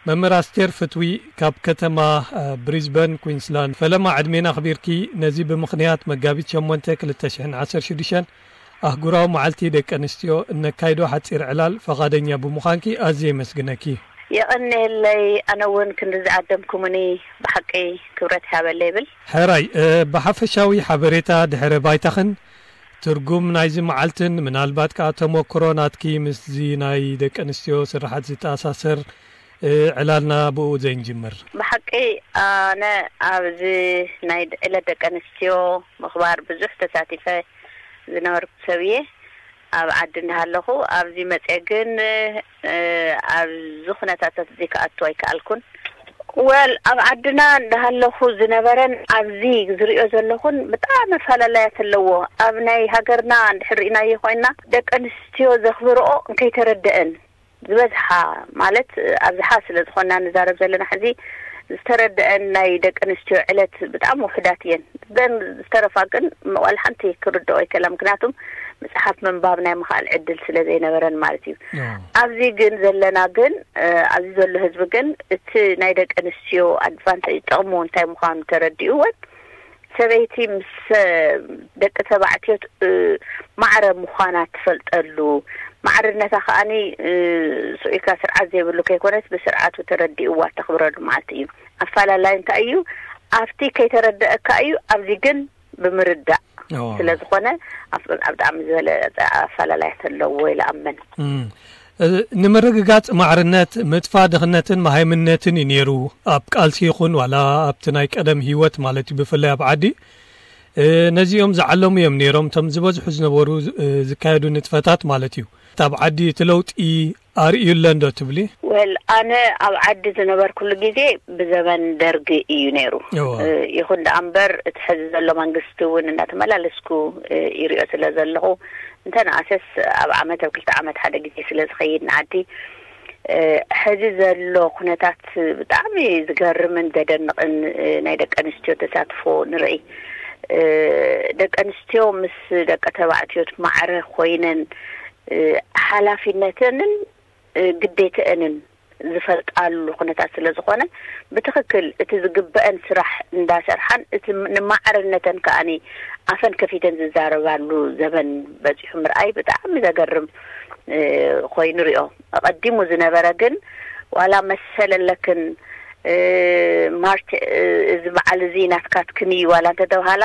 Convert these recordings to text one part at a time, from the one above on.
መምህር ኣስቴር ፍትዊ ካብ ከተማ ብሪዝበን፣ ኩንስላንድ፣ ፈለማ ዕድሜና ኣኽቢርኪ ነዚ ብምኽንያት መጋቢት ሸሞንተ ክልተ ሽሕን ዓሰርተ ሽዱሽተን ኣህጉራዊ መዓልቲ ደቂ ኣንስትዮ እነካይዶ ሓጺር ዕላል ፈቓደኛ ብምዃንኪ ኣዝየ የመስግነኪ። የቐንየለይ። ኣነ እውን ክንዲ ዝዓደምኩምኒ ብሓቂ ክብረት ይሃበለይ ይብል። ሕራይ፣ ብሓፈሻዊ ሓበሬታ ድሕረ ባይታኽን ትርጉም ናይዚ መዓልትን ምናልባት ከኣ ተመክሮ ናትኪ ምስዚ ናይ ደቂ ኣንስትዮ ስራሓት ዝተኣሳሰር ዕላልና ብኡ ዘይንጅምር። ብሓቂ ኣነ ኣብዚ ናይ ዕለት ደቂ ኣንስትዮ ምኽባር ብዙሕ ተሳቲፈ ዝነበርኩ ሰብ እየ። ኣብ ዓዲ እንዳሃለኹ ኣብዚ መፅአ ግን ኣብዚ ኩነታታት እዚ ክኣቱ ኣይከኣልኩን። ወል ኣብ ዓድና እንዳሃለኹ ዝነበረን ኣብዚ ዝሪኦ ዘለኹን ብጣዕሚ ኣፈላለያት ኣለዎ። ኣብ ናይ ሃገርና እንድሕር ርኢናዮ ኮይና ደቂ ኣንስትዮ ዘኽብርኦ እንከይተረደአን ዝበዝሓ ማለት ኣብዝሓ ስለ ዝኾና ንዛረብ ዘለና ሕዚ ዝተረደአን ናይ ደቂ ኣንስትዮ ዕለት ብጣዕሚ ውሕዳት እየን። ዘን ዝተረፋ ግን ዋላ ሓንቲ ክርድኦ ይከላ። ምክንያቱም መጽሓፍ ምንባብ ናይ ምኽኣል ዕድል ስለ ዘይነበረን ማለት እዩ። ኣብዚ ግን ዘለና ግን ኣብዚ ዘሎ ህዝቢ ግን እቲ ናይ ደቂ ኣንስትዮ ኣድቫንቴጅ ጥቕሙ እንታይ ምዃኑ ተረዲእዎን ሰበይቲ ምስ ደቂ ተባዕትዮ ማዕረ ምዃና ትፈልጠሉ ማዕርነታ ከኣኒ ስኢካ ስርዓት ዘይብሉ ከይኮነስ ብስርዓቱ ተረዲእዋ ተኽብረሉ ማለት እዩ። ኣፈላላይ እንታይ እዩ? ኣብቲ ከይተረደአካ እዩ። ኣብዚ ግን ብምርዳእ ስለ ዝኾነ ብጣዕሚ ዝበለ ኣፈላላያት ኣለዎ ኢለ ኣምን። ንምርግጋጽ ማዕርነት ምጥፋ ድኽነትን መሃይምነትን እዩ ነይሩ። ኣብ ቃልሲ ይኹን ዋላ ኣብቲ ናይ ቀደም ህይወት ማለት እዩ፣ ብፍላይ ኣብ ዓዲ ነዚኦም ዝዓለሙ እዮም ነይሮም እቶም ዝበዝሑ ዝነበሩ ዝካየዱ ንጥፈታት ማለት እዩ። ኣብ ዓዲ እቲ ለውጢ ኣርእዩ ኣሎ እንዶ ትብሊ? ወል ኣነ ኣብ ዓዲ ዝነበርኩሉ ግዜ ብዘበን ደርጊ እዩ ነይሩ። ይኹን ደኣ እምበር እቲ ሕዚ ዘሎ መንግስቲ እውን እናተመላለስኩ ይሪኦ ስለ ዘለኹ እንተነኣሰስ ኣብ ዓመት ኣብ ክልተ ዓመት ሓደ ግዜ ስለ ዝኸይድ ንዓዲ ሕዚ ዘሎ ኩነታት ብጣዕሚ ዝገርምን ዘደንቕን ናይ ደቂ ኣንስትዮ ተሳትፎ ንርኢ። ደቂ ኣንስትዮ ምስ ደቂ ተባዕትዮ ማዕረ ኮይነን ሓላፊነተንን ግዴተአንን ዝፈልጣሉ ኩነታት ስለ ዝኾነ ብትኽክል እቲ ዝግበአን ስራሕ እንዳሰርሓን እቲ ንማዕርነተን ከኣኒ ኣፈን ከፊተን ዝዛረባሉ ዘበን በፂሑ ምርኣይ ብጣዕሚ ዘገርም ኮይኑ ሪኦ። ኣቐዲሙ ዝነበረ ግን ዋላ መሰል ኣለክን ማርች እዚ በዓል እዚ ናትካትክን እዩ ዋላ እንተተባሃላ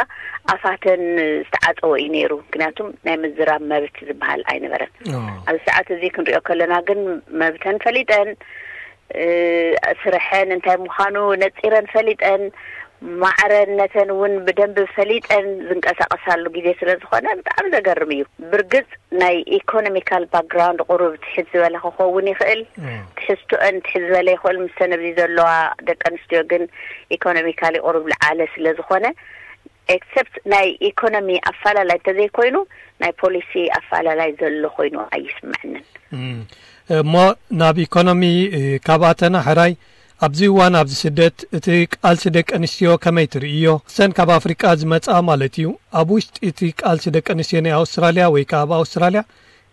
ኣፋተን ዝተዓፀወ እዩ ነይሩ። ምክንያቱም ናይ ምዝራብ መብት ዝበሃል ኣይነበረን። ኣብዚ ሰዓት እዚ ክንሪኦ ከለና ግን መብተን ፈሊጠን ስርሐን እንታይ ምዃኑ ነፂረን ፈሊጠን ማዕረነተን እውን ብደንብ ፈሊጠን ዝንቀሳቀሳሉ ግዜ ስለ ዝኾነ ብጣዕሚ ዘገርም እዩ። ብርግፅ ናይ ኢኮኖሚካል ባክግራውንድ ቁሩብ ትሕት ዝበለ ክኸውን ይኽእል። ትሕዝቶአን ትሕት ዝበለ ይኽእል ምስተን ኣብዚ ዘለዋ ደቂ ኣንስትዮ ግን ኢኮኖሚካሊ ቁሩብ ልዓለ ስለ ዝኾነ ኤክሰፕት ናይ ኢኮኖሚ ኣፈላላይ እንተዘይኮይኑ ናይ ፖሊሲ ኣፈላላይ ዘሎ ኮይኑ ኣይስምዐንን። እሞ ናብ ኢኮኖሚ ካባተና ሕራይ ኣብዚ እዋን ኣብዚ ስደት እቲ ቃልሲ ደቂ ኣንስትዮ ከመይ ትርእዮ? ሰን ካብ ኣፍሪቃ ዝመጻ ማለት እዩ። ኣብ ውሽጢ እቲ ቃልሲ ደቂ ኣንስትዮ ናይ ኣውስትራልያ ወይ ከዓ ኣብ ኣውስትራልያ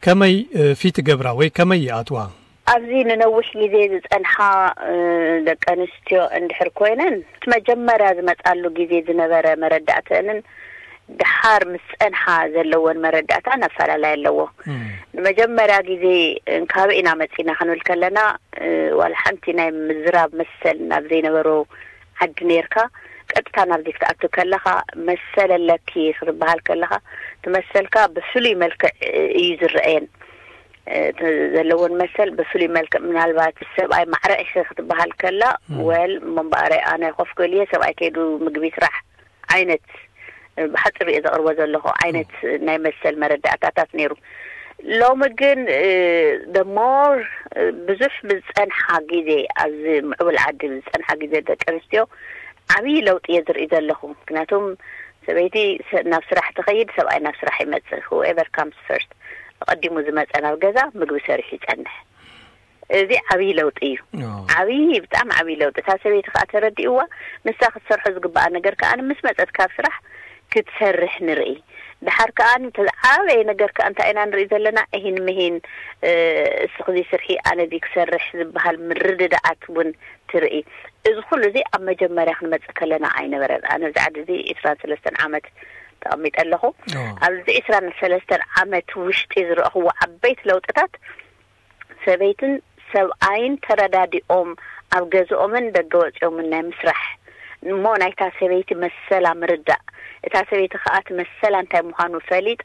ከመይ ፊት ገብራ ወይ ከመይ ይኣትዋ? ኣብዚ ንነዊሕ ግዜ ዝጸንሓ ደቂ ኣንስትዮ እንድሕር ኮይነን እቲ መጀመርያ ዝመጻሉ ግዜ ዝነበረ መረዳእተንን ድሓር ምስ ጸንሓ ዘለወን መረዳእታ ኣፈላላይ ኣለዎ። ንመጀመርያ ግዜ እንካበ ኢና መጺና ክንብል ከለና ዋላ ሓንቲ ናይ ምዝራብ መሰል ናብ ዘይነበሮ ዓዲ ነርካ ቀጥታ ናብዚ ክትኣቱ ከለኻ መሰል ኣለኪ ክትበሃል ከለኻ ትመሰልካ ብፍሉይ መልክዕ እዩ ዝረአየን። ዘለዎን መሰል ብፍሉይ መልክዕ ምናልባት ሰብኣይ ማዕረ ኢኺ ክትበሃል ከላ ወል እሞ እምበኣር ኣነ ኮፍ ክብል እየ ሰብኣይ ከይዱ ምግቢ ስራሕ ዓይነት ብሓፂሩ እየ ዘቕርቦ ዘለኹ ዓይነት ናይ መሰል መረዳእታታት ነይሩ። ሎሚ ግን ደሞር ብዙሕ ብዝፀንሓ ግዜ ኣብዚ ምዕቡል ዓዲ ብዝፀንሓ ግዜ ደቂ ኣንስትዮ ዓብዪ ለውጢ እየ ዝርኢ ዘለኹ። ምክንያቱም ሰበይቲ ናብ ስራሕ ትኸይድ፣ ሰብኣይ ናብ ስራሕ ይመፅእ። Whoever comes first ኣቐዲሙ ዝመፀ ናብ ገዛ ምግቢ ሰሪሑ ይፀንሕ። እዚ ዓብዪ ለውጢ እዩ። ዓብዪ ብጣዕሚ ዓብዪ ለውጢ እታ ሰበይቲ ከዓ ተረዲእዋ ንሳ ክትሰርሖ ዝግባኣ ነገር ከዓ ምስ መፀት ካብ ስራሕ ክትሰርሕ ንርኢ። ድሓር ከኣ እቲ ዝዓበየ ነገር ከኣ እንታይ ኢና ንርኢ ዘለና? እሂን ምሂን፣ እ፣ እስኺ እዚ ስርሒ፣ ኣነ እዚ ክሰርሕ ዝበሃል ምርድዳኣት እውን ትርኢ። እዚ ኩሉ እዚ ኣብ መጀመርያ ክንመጽእ ከለና ኣይነበረን። ኣነ ኣብዚ ዓዲ እዚ ዕስራን ሰለስተን ዓመት ተቐሚጠ ኣለኹ። ኣብዚ ዕስራን ሰለስተን ዓመት ውሽጢ ዝረእኽዎ ዓበይቲ ለውጥታት፣ ሰበይትን ሰብኣይን ተረዳዲኦም ኣብ ገዝኦምን ደገ ወጺኦምን ናይ ምስራሕ፣ እሞ ናይታ ሰበይቲ መሰላ ምርዳእ፣ እታ ሰበይቲ ከኣ እቲ መሰላ እንታይ ምዃኑ ፈሊጣ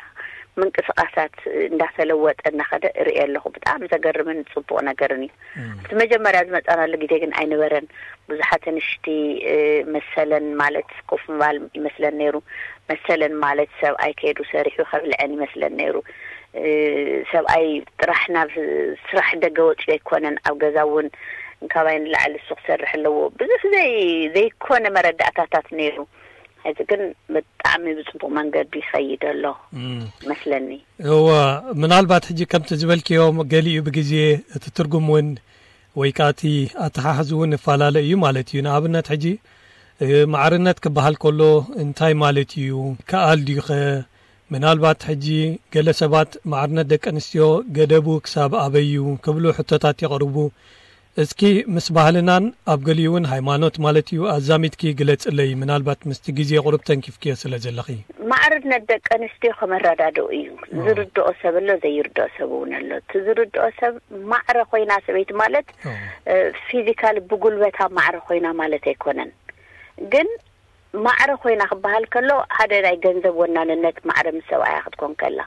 ምንቅስቓሳት እንዳተለወጠ እናኸደ እርኢ ኣለኹ። ብጣዕሚ ዘገርምን ጽቡቕ ነገርን እዩ። እቲ መጀመርያ ዝመጻናሉ ግዜ ግን ኣይነበረን። ብዙሓት ኣንሽቲ፣ እ፣ መሰለን ማለት ኮፍ ምባል ይመስለን ነይሩ። መሰለን ማለት ሰብኣይ ከይዱ ሰሪሑ ከብልዐን ይመስለን ነይሩ። እ፣ ሰብኣይ ጥራሕ ናብ ስራሕ ደገ ወፂኡ ኣይኮነን፣ ኣብ ገዛ እውን እንካባይ ንላዕሊ እሱ ክሰርሕ ኣለዎ። ብዙሕ ዘይ-፣ ዘይኮነ መረዳእታታት ነይሩ። ሕዚ ግን ብጣዕሚ ብፅቡቕ መንገዲ ይኸይድ ኣሎ እም። መስለኒ። እወ፣ ምናልባት ሕጂ ከምቲ ዝበልክዮ ገሊኡ ብግዜ እቲ ትርጉም እውን ወይ ከኣ እቲ ኣተሓሕዝ እውን ይፈላለ እዩ ማለት እዩ። ንኣብነት ሕጂ፣ እ፣ ማዕርነት ክበሃል ከሎ እንታይ ማለት እዩ? ከኣል ድዩኸ? ምናልባት ሕጂ ገለ ሰባት ማዕርነት ደቂ ኣንስትዮ ገደቡ ክሳብ ኣበይ እዩ ክብሉ ሕቶታት የቕርቡ። እስኪ ምስ ባህልናን ኣብ ገሊኡ እውን ሃይማኖት ማለት እዩ ኣዛሚድኪ ግለጽለይ፣ ምናልባት ምስቲ ግዜ ቁሩብ ተንኪፍክዮ ስለ ዘለኺ። ማዕርነት ደቂ ኣንስትዮ ከመረዳድኡ እዩ። ኦ። ዝርድኦ ሰብ ኣሎ፣ ዘይርድኦ ሰብ እውን ኣሎ። እቲ ዝርድኦ ሰብ ማዕረ ኮይና ሰበይቲ ማለት፣ ኦ። እ፣ ፊዚካሊ ብጉልበታ ማዕረ ኮይና ማለት ኣይኮነን። ግን ማዕረ ኮይና ክበሃል ከሎ ሓደ ናይ ገንዘብ ወናንነት ማዕረ ምስ ሰብኣያ ክትኮን ከላ፣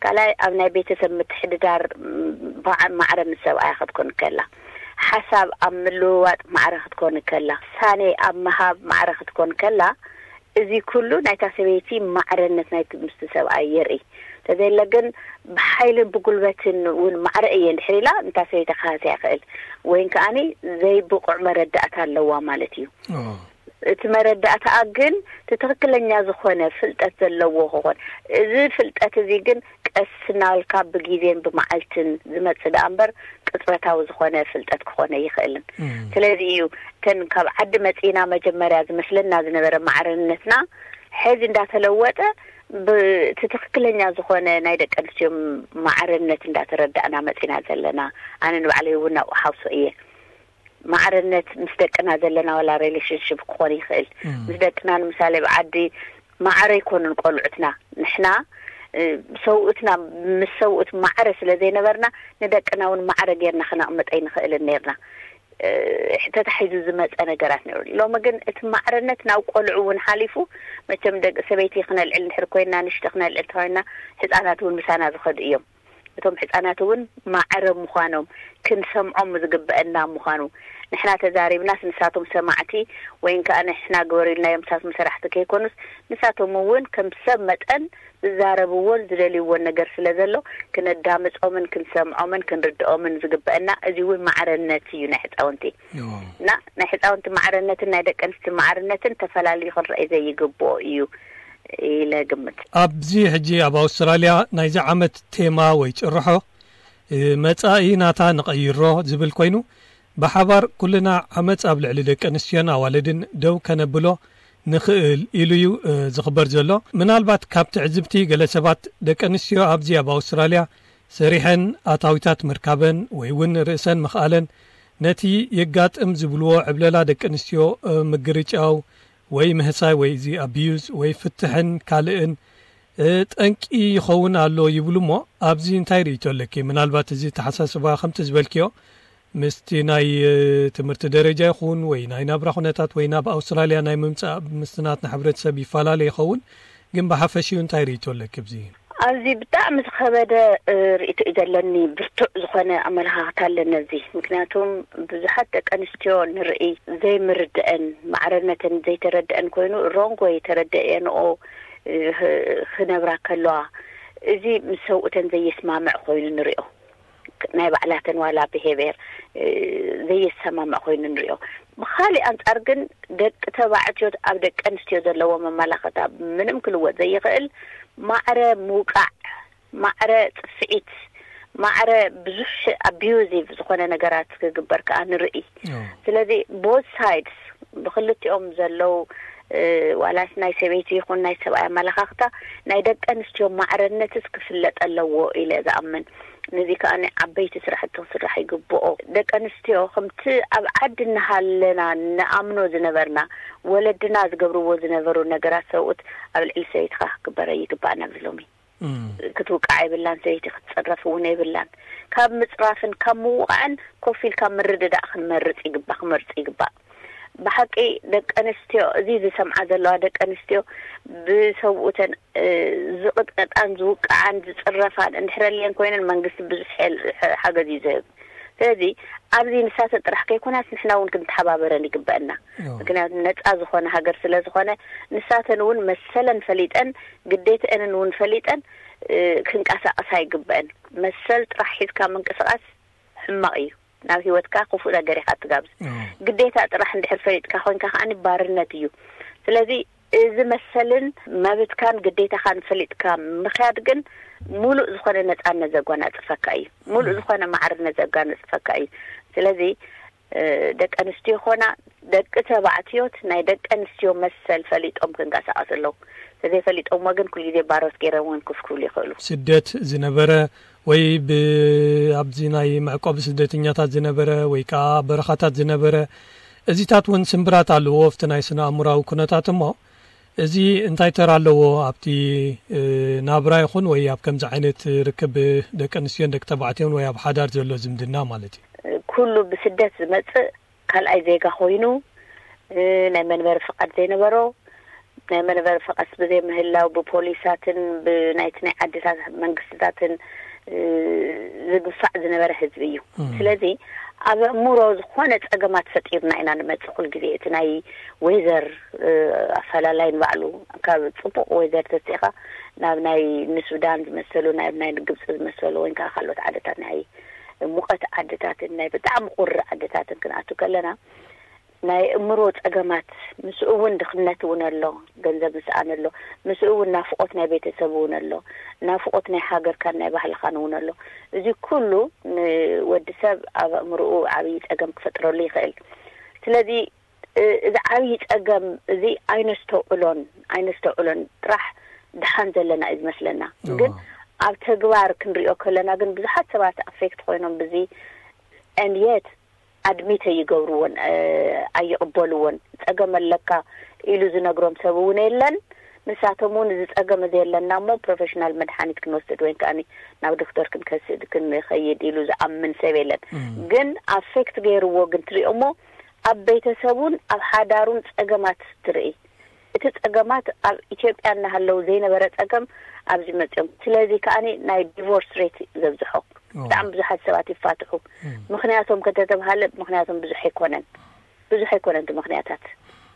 ካልኣይ ኣብ ናይ ቤተሰብ ምትሕድዳር፣ ም፣ በዓ-፣ ማዕረ ምስ ሰብኣያ ክትኮን ከላ፣ ሓሳብ ኣብ ምልውዋጥ ማዕረ ክትኮን ከላ፣ ውሳኔ ኣብ ምሃብ ማዕረ ክትኮን ከላ፣ እዚ ኩሉ ናይታ ሰበይቲ ማዕረነት ናይቲ ምስቲ ሰብኣይ የርኢ። እንተዘየለ ግን ብሓይልን ብጉልበትን እውን ማዕረ እየ እንድሕር ኢላ፣ እንታ ሰበይቲ ክሃስያ ይኽእል። ወይን ከኣኒ ዘይብቑዕ መረዳእታ ኣለዋ ማለት እዩ። ኦ። እቲ መረዳእታኣ ግን እቲ ትኽክለኛ ዝኾነ ፍልጠት ዘለዎ ክኾን፣ እዚ ፍልጠት እዚ ግን ቀስ እናበልካ ብግዜን ብመዓልትን ዝመጽእ ደኣ እምበር ቅጽበታዊ ዝኾነ ፍልጠት ክኾን ኣይኽእልን። እም። ስለዚ እዩ እተን ካብ ዓዲ መጺእና መጀመርያ ዝመስለና ዝነበረ ማዕርነትና ሕዚ እንዳተለወጠ ብቲ ትኽክለኛ ዝኾነ ናይ ደቂ ኣንስትዮ ማዕርነት እንዳተረዳእና መጺና ዘለና። ኣነ ንባዕለይ እውን ናብኡ ሓውሶ እየ። ማዕርነት ምስ ደቅና ዘለና ዋላ ሪሌሽንሽፕ ክኾን ይኽእል። እም። ምስ ደቅና ንምሳሌ ብዓዲ ማዕረ ኣይኮኑን ቆልዑትና። ንሕና፣ እ፣ ሰውእትና ምስ ሰውእት ማዕረ ስለ ዘይነበርና ንደቅና እውን ማዕረ ጌርና ክነቕምጥ ኣይንኽእልን ነይርና። እ፣ ተታሒዙ ዝመጸ ነገራት ነይሩ። ሎሚ ግን እቲ ማዕረነት ናብ ቆልዑ እውን ሓሊፉ፣ መቸም ደቂ ሰበይቲ ክነልዕል እንድሕር ኮይና፣ ንሽቲ ክነልዕል እንተኾይና፣ ህጻናት እውን ምሳና ዝኸዱ እዮም። እቶም ህጻናት እውን ማዕረ ምዃኖም ክንሰምዖም ዝግበአና ምዃኑ፣ ንሕና ተዛሪብናስ ንሳቶም ሰማዕቲ ወይን ከኣ ንሕና ግበሩ ኢልናዮም ንሳቶም ሰራሕቲ ከይኮኑስ፣ ንሳቶም እውን ከም ሰብ መጠን ዝዛረብዎን ዝደልይዎን ነገር ስለ ዘሎ፣ ክነዳምጾምን ክንሰምዖምን ክንርድኦምን ዝግበአና፣ እዚ እውን ማዕረነት እዩ ናይ ህጻውንቲ። እዎ። እና ናይ ህጻውንቲ ማዕረነትን ናይ ደቂ ኣንስትዮ ማዕረነትን ተፈላልዩ ክንረኣይ ዘይግብኦ እዩ ኢለ ግምት። ኣብዚ ሕጂ ኣብ ኣውስትራልያ ናይዚ ዓመት ቴማ ወይ ጭርሖ፣ እ፣ መጻኢ ናታ ንቐይሮ ዝብል ኮይኑ፣ ብሓባር ኩልና ዓመጽ ኣብ ልዕሊ ደቂ ኣንስትዮን ኣዋልድን ደው ከነብሎ ንኽእል ኢሉ እዩ፣ እ፣ ዝኽበር ዘሎ። ምናልባት ካብ ትዕዝብቲ ገለ ሰባት ደቂ ኣንስትዮ ኣብዚ ኣብ ኣውስትራልያ ሰሪሐን ኣታዊታት ምርካበን ወይ እውን ርእሰን ምኽኣለን ነቲ የጋጥም ዝብልዎ ዕብለላ ደቂ ኣንስትዮ፣ እ፣ ምግርጫው ወይ ምህሳይ ወይ እዚ ኣቢዩዝ ወይ ፍትሕን ካልእን፣ እ፣ ጠንቂ ይኸውን ኣሎ ይብሉ እሞ፣ ኣብዚ እንታይ ርእይቶ ኣለኪ? ምናልባት እዚ ተሓሳስባ ከምቲ ዝበልክዮ ምስቲ ናይ፣ እ፣ ትምህርቲ ደረጃ ይኹን ወይ ናይ ናብራ ኩነታት ወይ ናብ ኣውስትራልያ ናይ ምምጻእ ምስቲ ናትና ሕብረተሰብ ይፈላለ ይኸውን፣ ግን ብሓፈሽኡ እንታይ ርእይቶ ኣለኪ ኣብዚ? ኣብዚ ብጣዕሚ ዝኸበደ፣ እ፣ ርእይቶ እዩ ዘለኒ፣ ብርቱዕ ዝኾነ ኣመለኻኽታ ኣለኒ ኣብዚ። ምክንያቱም ብዙሓት ደቂ ኣንስትዮ ንርኢ ዘይምርድአን፣ ማዕረነተን ዘይተረድአን ኮይኑ፣ ሮንግ ወይ ተረድአንኦ፣ እ፣ ህ-፣ ክነብራ ከለዋ፣ እዚ ምስ ሰብኡተን ዘየስማምዕ ኮይኑ ንሪኦ። ናይ ባዕላተን ዋላ ብሄብሔር፣ እ፣ ዘየሰማምዕ ኮይኑ ንሪኦ። ብኻሊእ ኣንጻር ግን ደቂ ተባዕትዮ ኣብ ደቂ ኣንስትዮ ዘለዎ መመላኸታ ምንም ክልወጥ ዘይኽእል ማዕረ ምውቃዕ፣ ማዕረ ጽፍዒት፣ ማዕረ ብዙሕ ኣቢዩዚቭ ዝኾነ ነገራት ክግበር ከኣ ንርኢ። ኦ። ስለዚ ቦዝ ሳይድስ ብክልቲኦም ዘለዉ፣ ዋላስ ናይ ሰበይቲ ይኹን ናይ ሰብኣይ ኣመለኻኽታ፣ ናይ ደቂ ኣንስትዮ ማዕረነትስ ክፍለጥ ኣለዎ ኢለ ዝኣምን። ነዚ ከኣ ዓበይቲ ስራሕቲ ክስራሕ ይግብኦ። ደቂ ኣንስትዮ ከምቲ ኣብ ዓዲ እናሃለና ንኣምኖ ዝነበርና፣ ወለድና ዝገብርዎ ዝነበሩ ነገራት ሰብኡት ኣብ ልዕሊ ሰበይትኻ ክግበረ ይግባእ ናብዚ ሎሚ። ክትውቃዕ የብላን፣ ሰበይቲ ክትፅረፍ እውን የብላን። ካብ ምፅራፍን ካብ ምውቃዕን ኮፍ ኢልካ ምርድዳእ ክንመርፅ ይግባእ፣ ክመርፅ ይግባእ። ብሓቂ ደቂ ኣንስትዮ፣ እዚ ዝሰምዓ ዘለዋ ደቂ ኣንስትዮ ብሰብኡተን ዝቕጥቀጣን ዝውቃዓን ዝፅረፋን እንድሕረልየን ኮይነን መንግስቲ ብዙሕ ሓገዝ እዩ ዝህብ። ስለዚ ኣብዚ ንሳተን ጥራሕ ከይኮናስ ንሕና እውን ክንተሓባበረን ይግበአና። ምክንያቱ ነፃ ዝኾነ ሃገር ስለ ዝኾነ ንሳተን እውን መሰለን ፈሊጠን ግዴተአንን እውን ፈሊጠን ክንቀሳቀሳ ይግበአን። መሰል ጥራሕ ሒዝካ ምንቅስቃስ ሕማቕ እዩ። ናብ ህይወትካ ክፉእ ነገር ኢኻ ትጋብዝ። ግዴታ ጥራሕ እንድሕር ፈሊጥካ ኮይንካ ከዓኒ ባርነት እዩ። ስለዚ እዚ መሰልን መብትካን ግዴታኻን ፈሊጥካ ምኽያድ ግን ሙሉእ ዝኾነ ነፃነት ዘጓናፅፈካ እዩ። ሙሉእ ዝኾነ ማዕርነት ዘጓናፅፈካ እዩ። ስለዚ ደቂ ኣንስትዮ ኾና ደቂ ተባዕትዮት ናይ ደቂ ኣንስትዮ መሰል ፈሊጦም ክንቀሳቀሱ ኣለዉ። ተዘይፈሊጦምዎ ግን ኩሉ ግዜ ባሮት ገይሮም እውን ክፍ ክብሉ ይኽእሉ። ስደት ዝነበረ ወይ ብ ኣብዚ ናይ መዕቆቢ ስደተኛታት ዝነበረ ወይ ከዓ በረኻታት ዝነበረ እዚታት እውን ስምብራት ኣለዎ ኣብቲ ናይ ስነ ኣእምራዊ ኩነታት። እሞ እዚ እንታይ ተራ ኣለዎ ኣብቲ ናብራ ይኹን ወይ ኣብ ከምዚ ዓይነት ርክብ ደቂ ኣንስትዮን ደቂ ተባዕትዮን ወይ ኣብ ሓዳር ዘሎ ዝምድና ማለት እዩ? ኩሉ ብስደት ዝመፅእ ካልኣይ ዜጋ ኮይኑ ናይ መንበሪ ፍቃድ ዘይነበሮ ናይ መንበሪ ፍቃድ ብዘይምህላው ብፖሊሳትን ብናይቲ ናይ ዓድታት መንግስትታትን ዝግፋዕ ዝነበረ ህዝቢ እዩ። ስለዚ ኣብ ኣእምሮ ዝኾነ ፀገማት ፈጢርና ኢና ንመፅእ። ኩል ግዜ እቲ ናይ ወይዘር ኣፈላላይ ንባዕሉ ካብ ፅቡቅ ወይዘር ተስኢኻ ናብ ናይ ንሱዳን ዝመሰሉ ናብ ናይ ግብፂ ዝመሰሉ ወይ ከዓ ካልኦት ዓድታት ናይ ሙቐት ዓድታትን ናይ ብጣዕሚ ቁሪ ዓድታትን ክንኣቱ ከለና ናይ እምሮ ፀገማት ምስኡ እውን ድኽነት እውን ኣሎ። ገንዘብ ምስኣን ኣሎ። ምስኡ እውን ናፍቆት ናይ ቤተሰብ እውን ኣሎ። ናፍቆት ናይ ሃገርካን ናይ ባህልኻን እውን ኣሎ። እዚ ኩሉ ንወዲ ሰብ ኣብ ኣእምርኡ ዓብዪ ፀገም ክፈጥረሉ ይኽእል። ስለዚ እዚ ዓብዪ ፀገም እዚ ኣይነስተውዕሎን ኣይነስተውዕሎን ጥራሕ ድሓን ዘለና እዩ ዝመስለና። ግን ኣብ ተግባር ክንሪኦ ከለና ግን ብዙሓት ሰባት ኣፌክት ኮይኖም ብዚ ንየት ኣድሚት ኣይገብርዎን፣ ኣይቕበልዎን። ፀገም ኣለካ ኢሉ ዝነግሮም ሰብ እውን የለን። ንሳቶም እውን እዚ ፀገም እዚ የለና እሞ ፕሮፌሽናል መድሓኒት ክንወስድ ወይ ከዓ ናብ ዶክተር ክንከስድ ክንኸይድ ኢሉ ዝኣምን ሰብ የለን። ግን ኣፌክት ገይርዎ ግን ትሪኦሞ ኣብ ቤተሰቡን ኣብ ሓዳሩን ፀገማት ትርኢ። እቲ ፀገማት ኣብ ኢትዮጵያ እናሃለዉ ዘይነበረ ፀገም ኣብዚ መፅኦም። ስለዚ ከዓኒ ናይ ዲቮርስ ሬት ዘብዝሖ። ብጣዕሚ ብዙሓት ሰባት ይፋትሑ። ምክንያቶም ከተተብሃለ ምክንያቶም ብዙሕ ኣይኮነን። ብዙሕ ኣይኮነን እቲ ምክንያታት።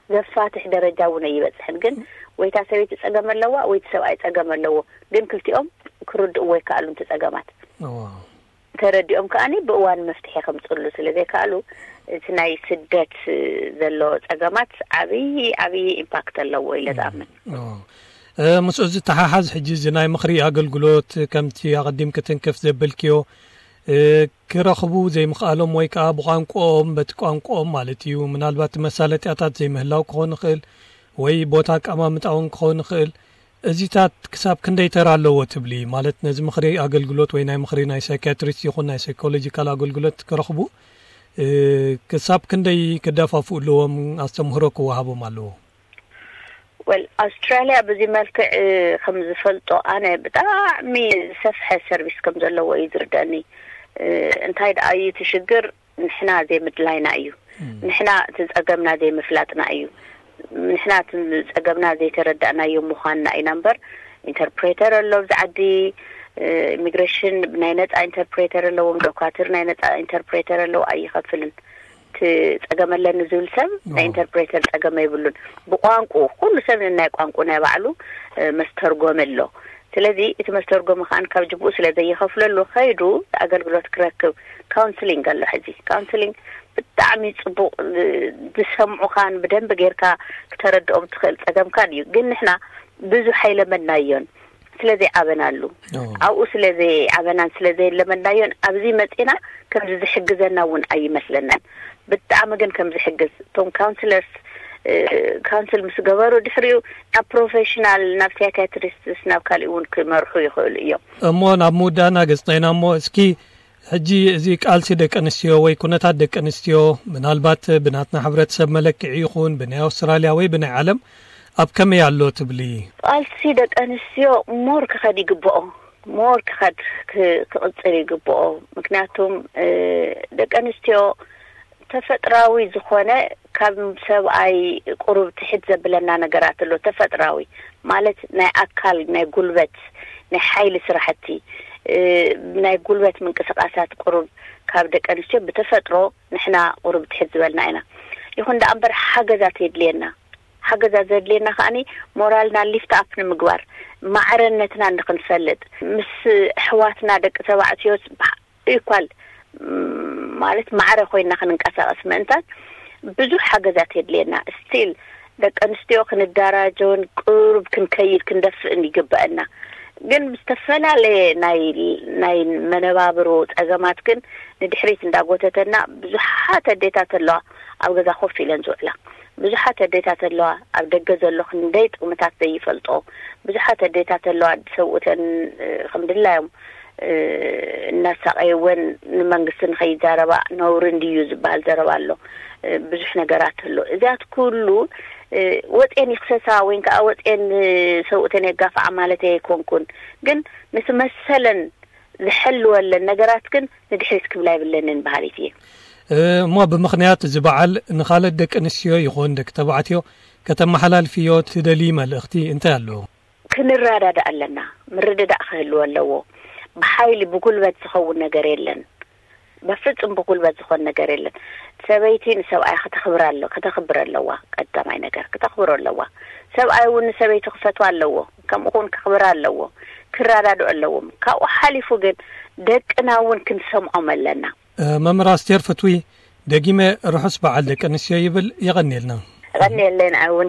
ዘፋትሕ ደረጃ እውን ኣይበፅሕን። ግን ወይታ ሰበይቲ ፀገም ኣለዋ ወይቲ ሰብኣይ ፀገም ኣለዎ። ግን ክልቲኦም ክርድእዎ ይከኣሉ እቲ ፀገማት። ተረዲኦም ከዓኒ ብእዋን መፍትሒ ከምፅሉ ስለ ዘይከኣሉ እቲ ናይ ስደት ዘሎ ፀገማት ዓብዪ ዓብዪ ኢምፓክት ኣለዎ ኢለ ዝኣምን። ምስኡ ዝተሓሓዝ ሕጂ እዚ ናይ ምኽሪ ኣገልግሎት ከምቲ ኣቐዲም ክትንክፍ ዘበልክዮ ክረኽቡ ዘይምኽኣሎም ወይ ከዓ ብቋንቋኦም በቲ ቋንቋኦም ማለት እዩ ምናልባት መሳለጥያታት ዘይምህላው ክኾን ይኽእል ወይ ቦታ ኣቀማምጣ እውን ክኾን ይኽእል። እዚታት ክሳብ ክንደይ ተራ ኣለዎ ትብሊ? ማለት ነዚ ምኽሪ ኣገልግሎት ወይ ናይ ምኽሪ ናይ ሳይኪያትሪስት ይኹን ናይ ሳይኮሎጂካል ኣገልግሎት ክረኽቡ ክሳብ ክንደይ ክደፋፍኡ ኣለዎም? ኣስተምህሮ ክወሃቦም ኣለዎ? ወል ኣውስትራሊያ በዚ መልክዕ ከም ዝፈልጦ ኣነ ብጣዕሚ ዝሰፍሐ ሰርቪስ ከም ዘለዎ እዩ ዝርደኒ። እንታይ ደኣ እዩ እቲ ሽግር? ንሕና ዘይምድላይና እዩ። ንሕና እቲ ፀገምና ዘይምፍላጥና እዩ። ንሕና እቲ ፀገምና ዘይተረዳእናዮ ምዃንና ኢና እምበር ኢንተርፕሬተር ኣሎ ኣብዚ ዓዲ። ኢሚግሬሽን ናይ ነፃ ኢንተርፕሬተር ኣለዎም። ዶካትር ናይ ነፃ ኢንተርፕሬተር ኣለዎ ኣይኸፍልን። እቲ ፀገም ኣለኒ ዝብል ሰብ ናይ ኢንተርፕሬተር ፀገም ኣይብሉን። ብቋንቁ ኩሉ ሰብ ንናይ ቋንቁ ናይ ባዕሉ መስተርጎም ኣሎ። ስለዚ እቲ መስተርጎሚ ከዓን ካብ ጅብኡ ስለ ዘይኸፍለሉ ከይዱ ኣገልግሎት ክረክብ። ካውንስሊንግ ኣሎ ሕዚ። ካውንስሊንግ ብጣዕሚ ፅቡቅ ዝሰምዑኻን ብደንብ ጌርካ ክተረድኦም ትኽእል ፀገምካን እዩ። ግን ንሕና ብዙሕ ኣይለመድናዮን ስለ ዘይዓበናሉ ኣብኡ ስለ ዘይዓበናን ስለ ዘይለመድናዮን ኣብዚ መፂና ከምዚ ዝሕግዘና እውን ኣይመስለናን። ብጣዕሚ ግን ከም ዝሕግዝ እቶም ካውንስለርስ ካውንስል ምስ ገበሩ ድሕሪኡ ናብ ፕሮፌሽናል፣ ናብ ሳይካትሪስትስ፣ ናብ ካሊእ እውን ክመርሑ ይኽእሉ እዮም። እሞ ናብ ምውዳእና ገጽናይና እሞ እስኪ ሕጂ እዚ ቃልሲ ደቂ ኣንስትዮ ወይ ኩነታት ደቂ ኣንስትዮ ምናልባት ብናትና ሕብረተሰብ መለክዒ ይኹን ብናይ ኣውስትራልያ ወይ ብናይ ዓለም ኣብ ከመይ ኣሎ ትብሊ? ቃልሲ ደቂ ኣንስትዮ ሞር ክኸድ ይግብኦ፣ ሞር ክኸድ ክ- ክቕፅል ይግብኦ። ምክንያቱም ደቂ ኣንስትዮ ተፈጥራዊ ዝኾነ ካብ ሰብኣይ ቁሩብ ትሕት ዘብለና ነገራት ኣሎ። ተፈጥራዊ ማለት ናይ ኣካል፣ ናይ ጉልበት፣ ናይ ሓይሊ ስራሕቲ፣ ናይ ጉልበት ምንቅስቃሳት ቁሩብ ካብ ደቂ ኣንስትዮ ብተፈጥሮ ንሕና ቁሩብ ትሕት ዝበልና ኢና። ይኹን ደኣ እምበር ሓገዛት የድልየና። ሓገዛት ዘድልየና ከዓኒ ሞራልና ሊፍት ኣፕ ንምግባር፣ ማዕረነትና ንክንፈልጥ፣ ምስ ኣሕዋትና ደቂ ተባዕትዮስ ኢኳል ማለት ማዕረ ኮይና ክንንቀሳቀስ ምእንታን ብዙሕ ሓገዛት የድልየና። ስቲል ደቂ ኣንስትዮ ክንደራጀውን ቅሩብ ክንከይድ ክንደፍእን ይግበአና። ግን ዝተፈላለየ ናይ ናይ መነባብሮ ጸገማት ግን ንድሕሪት እንዳጎተተና ብዙሓት ኣዴታት ኣለዋ ኣብ ገዛ ኮፍ ኢለን ዝውዕላ። ብዙሓት ኣዴታት ኣለዋ ኣብ ደገ ዘሎ ክንደይ ጥቕምታት ዘይፈልጦ። ብዙሓት ኣዴታት ኣለዋ ሰብኡተን ከም ድላዮም እናሳቀይወን ንመንግስቲ ንኸይዛረባ ነውሪ እንድዩ ዝበሃል ዘረባ ኣሎ። ብዙሕ ነገራት ኣሎ። እዚያት ኩሉ ወፅኤን ይክሰሳ ወይን ከዓ ወፅኤን ሰብኡተን የጋፍዓ ማለት ኣይኮንኩን። ግን ንትመሰለን ዝሐልወለን ነገራት ግን ንድሕሪት ክብላ ይብለንን በሃሊት እየ። እሞ ብምኽንያት እዚ በዓል ንኻልኦት ደቂ ኣንስትዮ ይኹን ደቂ ተባዕትዮ ከተመሓላልፍዮ ትደሊ መልእኽቲ እንታይ ኣሎ? ክንረዳዳእ ኣለና። ምርድዳእ ክህልዎ ኣለዎ። ብሓይሊ ብጉልበት ዝኸውን ነገር የለን። በፍጹም ብጉልበት ዝኾን ነገር የለን። ሰበይቲ ንሰብኣያ ከተኽብር ኣለ ከተኽብር ኣለዋ። ቀዳማይ ነገር ክተኽብሮ ኣለዋ። ሰብኣይ እውን ንሰበይቲ ክፈትዋ ኣለዎ። ከምኡ እውን ከኽብር ኣለዎ። ክረዳድኡ ኣለዎም። ካብኡ ሓሊፉ ግን ደቅና እውን ክንሰምዖም ኣለና። መምህር ኣስቴር ፍትዊ ደጊመ ርሑስ በዓል ደቂ ኣንስትዮ ይብል። የቐንየልና። የቐንየለይ ንዓይ እውን።